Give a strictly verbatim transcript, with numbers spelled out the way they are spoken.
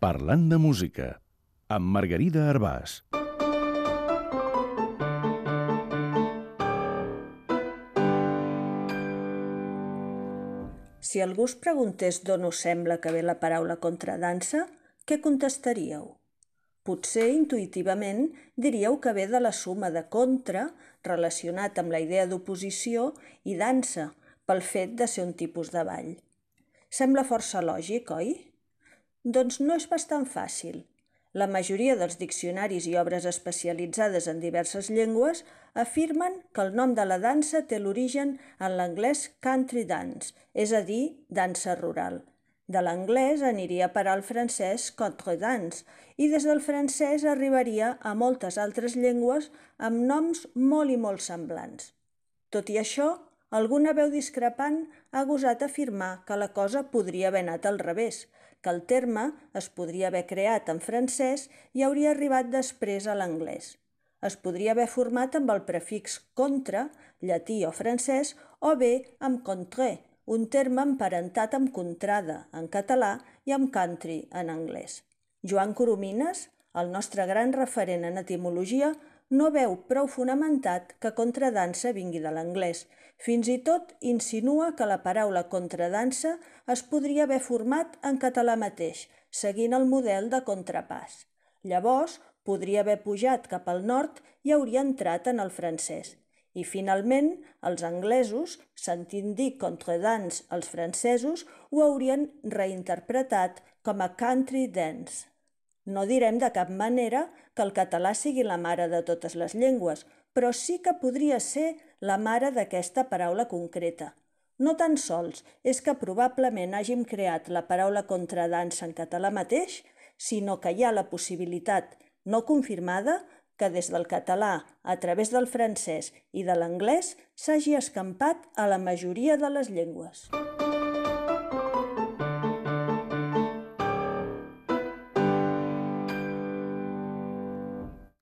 Parlant de música, amb Margarida Arbàs. Si algú us preguntés d'on us sembla que ve la paraula contradansa, què contestaríeu? Potser intuïtivament diríeu que ve de la suma de contra, relacionat amb la idea d'oposició, i dansa, pel fet de ser un tipus de ball. Sembla força lògic, oi? Doncs no és bastant fàcil. La majoria dels diccionaris i obres especialitzades en diverses llengües afirmen que el nom de la dansa té l'origen en l'anglès country dance, és a dir, dansa rural. De l'anglès aniria a parar al francès contredance i des del francès arribaria a moltes altres llengües amb noms molt i molt semblants. Tot i això, alguna veu discrepant ha gosat afirmar que la cosa podria haver anat al revés, que el terme es podria haver creat en francès i hauria arribat després a l'anglès. Es podria haver format amb el prefix contra, llatí o francès, o bé amb contre, un terme emparentat amb contrada, en català, i amb country, en anglès. Joan Coromines, el nostre gran referent en etimologia, no veu prou fonamentat que contradansa vingui de l'anglès. Fins i tot insinua que la paraula contradansa es podria haver format en català mateix, seguint el model de contrapàs. Llavors, podria haver pujat cap al nord i hauria entrat en el francès. I finalment, els anglesos, sentint dir contradance als francesos, ho haurien reinterpretat com a country dance. No direm de cap manera que el català sigui la mare de totes les llengües, però sí que podria ser la mare d'aquesta paraula concreta. No tan sols és que probablement hàgim creat la paraula contradansa en català mateix, sinó que hi ha la possibilitat no confirmada que des del català, a través del francès i de l'anglès, s'hagi escampat a la majoria de les llengües.